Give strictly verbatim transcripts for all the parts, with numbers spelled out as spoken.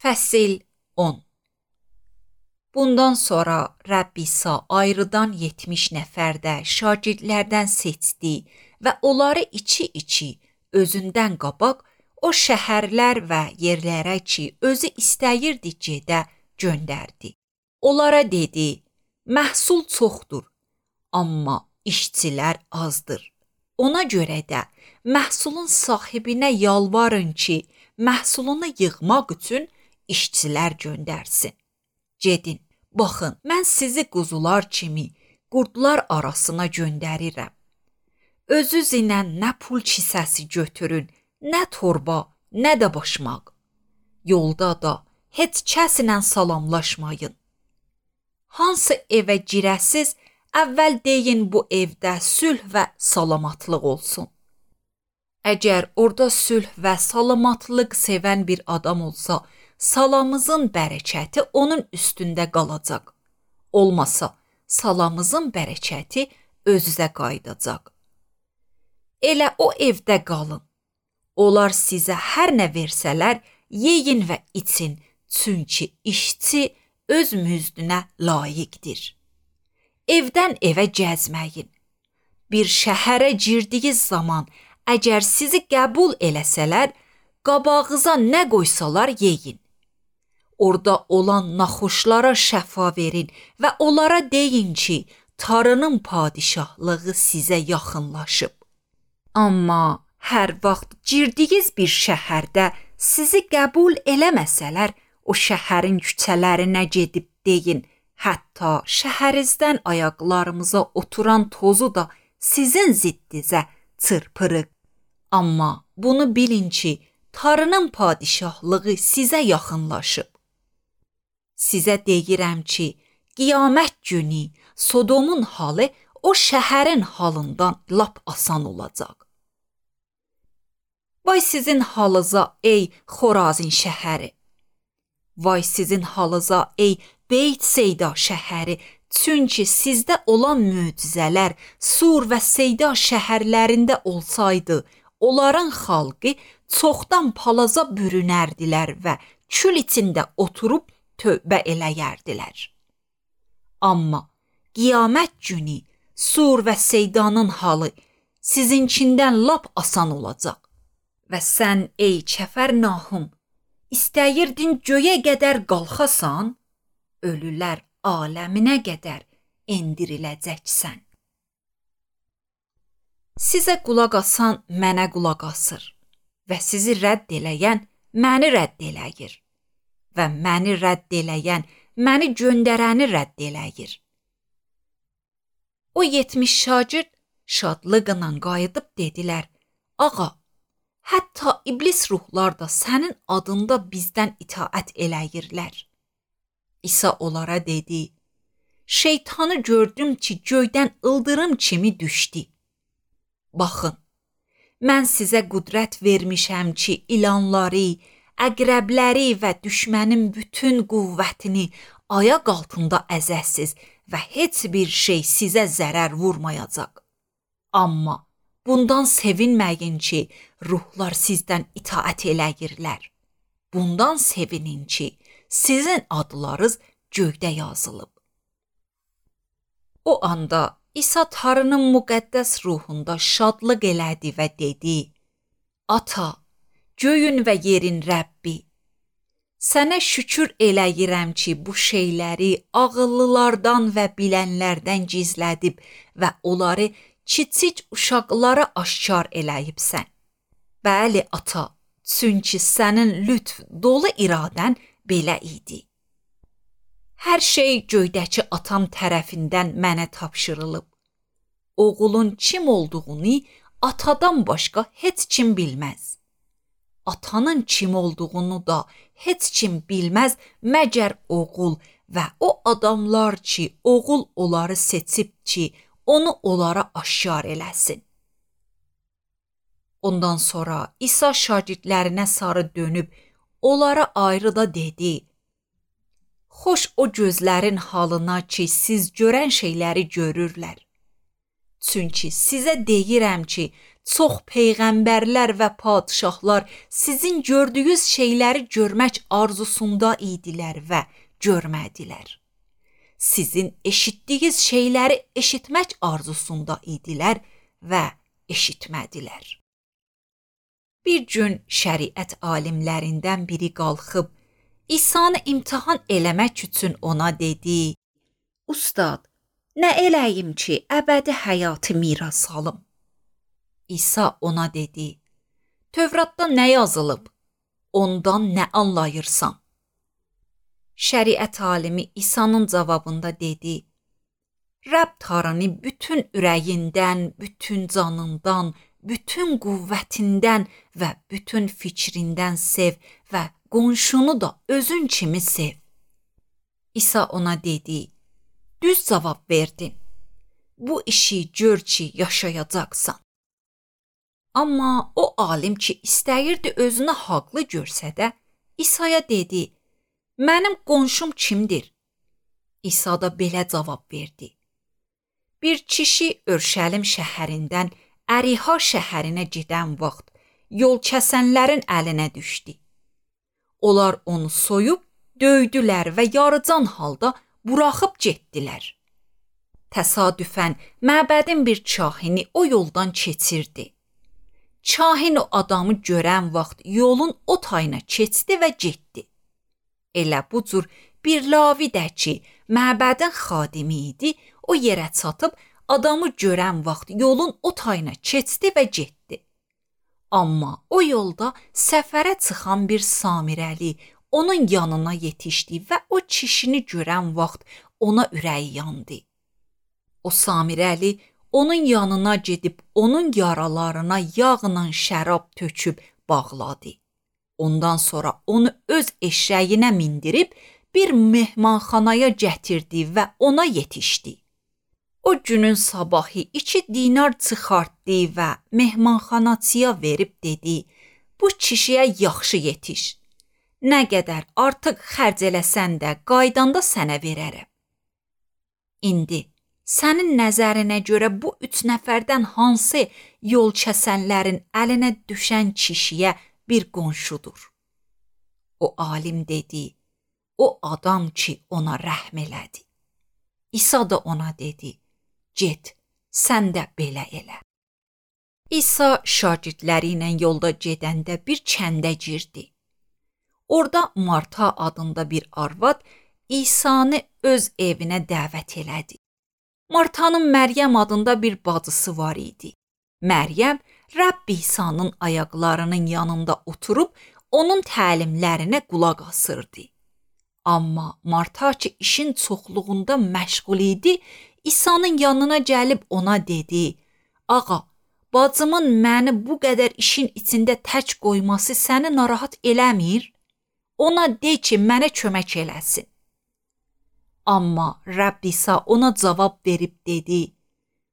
Fəsil on. Bundan sonra Rəbb İsa ayrıdan yetmiş nəfərdə şagirdlərdən seçdi və onları içi-içi özündən qabaq o şəhərlər və yerlərə ki, özü istəyirdi gedə göndərdi. Onlara dedi, məhsul çoxdur, amma işçilər azdır. Ona görə də məhsulun sahibinə yalvarın ki, məhsulunu yığmaq üçün işçilər göndərsin. Gedin, baxın, mən sizi quzular kimi qurdlar arasına göndərirəm. Özünüz ilə nə pul kisəsi götürün, nə torba, nə də başmaq. Yolda da heç kəslə salamlaşmayın. Hansı evə girəsiz, əvvəl deyin bu evdə sülh və salamatlıq olsun. Əgər orada sülh və salamatlıq sevən bir adam olsa, salamızın bərəkəti onun üstündə qalacaq. Olmasa, salamızın bərəkəti özünüzə qayıdacaq. Elə o evdə qalın. Onlar sizə hər nə versələr, yeyin və için, çünki işçi öz müzdünə layiqdir. Evdən evə gəzməyin. Bir şəhərə girdiyiniz zaman, əgər sizi qəbul eləsələr, qabağınıza nə qoysalar yeyin. Orada olan naxoşlara şəfa verin və onlara deyin ki, Tanrının padişahlığı sizə yaxınlaşıb. Amma hər vaxt girdiyiniz bir şəhərdə sizi qəbul eləməsələr, o şəhərin küçələrinə gedib deyin, hətta şəhərinizdən ayaqlarımıza oturan tozu da sizin ziddinizə çırpırıq. Amma bunu bilin ki, Tanrının padişahlığı sizə yaxınlaşıb. Sizə deyirəm ki, qiyamət günü Sodomun halı o şəhərin halından lap asan olacaq. Vay sizin halınıza ey Xorazin şəhəri! Vay sizin halınıza ey Beyt-Seyda şəhəri! Çünki sizdə olan möcüzələr Sur və Seyda şəhərlərində olsaydı, onların xalqı çoxdan palaza bürünərdilər və kül içində oturub tövbə eləyərdilər. Amma qiyamət günü Sur və Seydanın halı sizinkindən lap asan olacaq. Və sən ey Kəfərnahum, istəyirdin göyə qədər qalxasan, ölülər aləminə qədər endiriləcəksən. Sizə qulaq asan mənə qulaq asır və sizi rədd eləyən məni rədd eləyir və məni rədd eləyən məni göndərəni rədd eləyir. O yetmiş şagird şadlıqla qayıdıb dedilər, ağa, hətta iblis ruhlar da sənin adında bizdən itaət eləyirlər. İsa onlara dedi, şeytanı gördüm ki, göydən ildırım kimi düşdü. Baxın, mən sizə qüdrət vermişəm ki, ilanları, əqrəbləri və düşmənin bütün qüvvətini ayaq altında əzəsiz və heç bir şey sizə zərər vurmayacaq. Amma bundan sevinməyin ki, ruhlar sizdən itaət eləyirlər. Bundan sevinin ki, sizin adlarınız göydə yazılıb. O anda İsa Tanrının müqəddəs ruhunda şadlıq elədi və dedi, Ata, göyün və yerin Rəbbi, sənə şükür eləyirəm ki, bu şeyləri ağıllılardan və bilənlərdən gizlədib və onları kiçik uşaqlara aşkar eləyibsən. Bəli, ata, çünki sənin lütf dolu iradən belə idi. Hər şey göydəki atam tərəfindən mənə tapşırılıb. Oğulun kim olduğunu atadan başqa heç kim bilməz. Atanın kim olduğunu da heç kim bilməz məgər oğul və o adamlar ki, oğul onları seçib ki, onu onlara aşkar eləsin. Ondan sonra İsa şagirdlərinə sarı dönüb, onlara ayrı da dedi, xoş o gözlərin halına ki, siz görən şeyləri görürlər. Çünki sizə deyirəm ki, çox peyğəmbərlər və padşahlar sizin gördüyünüz şeyləri görmək arzusunda idilər və görmədilər. Sizin eşitdiyiniz şeyləri eşitmək arzusunda idilər və eşitmədilər. Bir gün şəriət alimlərindən biri qalxıb İsa'nı imtahan eləmək üçün ona dedi: "Ustad, nə eləyim ki, əbədi həyatı miras alım?" İsa ona dedi: "Tövratda nə yazılıb? Ondan nə anlayırsan?" Şəriət alimi İsa'nın cavabında dedi: "Rəbb Tanrını bütün ürəyindən, bütün canından, bütün qüvvətindən və bütün fikrindən sev və qonşunu da özün kimi sev." İsa ona dedi: "Düz cavab verdin. Bu işi gör ki, yaşayacaqsan." Amma o alim ki, istəyirdi özünü haqlı görsə də, İsa'ya dedi: "Mənim qonşum kimdir?" İsa da belə cavab verdi: "Bir kişi Örşəlim şəhərindən Əriha şəhərinə gedən vaxt yol kəsənlərin əlinə düşdü. Onlar onu soyub, döydülər və yarıcan halda buraxıb getdilər. Təsadüfən məbədin bir kahini o yoldan keçirdi. Kahin o adamı görən vaxt yolun o tayına keçdi və getdi. Elə bu cür bir lavi də ki, məbədin xadimi idi, o yerə çatıb adamı görən vaxt yolun o tayına keçdi və getdi. Amma o yolda səfərə çıxan bir samirəli onun yanına yetişdi və o kişini görən vaxt ona ürəyi yandı. O samirəli onun yanına gedib onun yaralarına yağla şərab töküb bağladı. Ondan sonra onu öz eşəyinə mindirib bir mehmanxanaya gətirdi və ona yetişdi. O günün sabahı iki dinar çıxartdı və mehmanxanaçıya verib dedi: "Bu kişiyə yaxşı yetiş. Nə qədər artıq xərc eləsən də qaydanda sənə verərəm." İndi sənin nəzərinə görə bu üç nəfərdən hansı yol kəsənlərin əlinə düşən kişiyə bir qonşudur? O alim dedi: "O adam ki, ona rəhm elədi." İsa da ona dedi: "Get, sən də belə elə." İsa şagirdləri ilə yolda gedəndə bir kəndə girdi. Orada Marta adında bir arvad İsa'nı öz evinə dəvət elədi. Martanın Məryəm adında bir bacısı var idi. Məryəm Rəbb İsa'nın ayaqlarının yanında oturub onun təlimlərinə qulaq asırdı. Amma Marta ki işin çoxluğunda məşğul idi, İsa'nın yanına gəlib ona dedi: "Ağa, bacımın məni bu qədər işin içində tək qoyması səni narahat eləmir? Ona de ki, mənə kömək eləsin." Amma Rəbb İsa ona cavab verib dedi: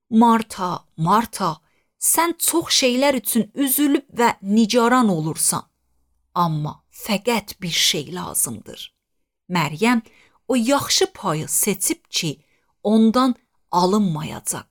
"Marta, Marta, sən çox şeylər üçün üzülüb və nigaran olursan. Amma fəqət bir şey lazımdır. Məryəm o yaxşı payı seçib ki, ondan alınmayacaq."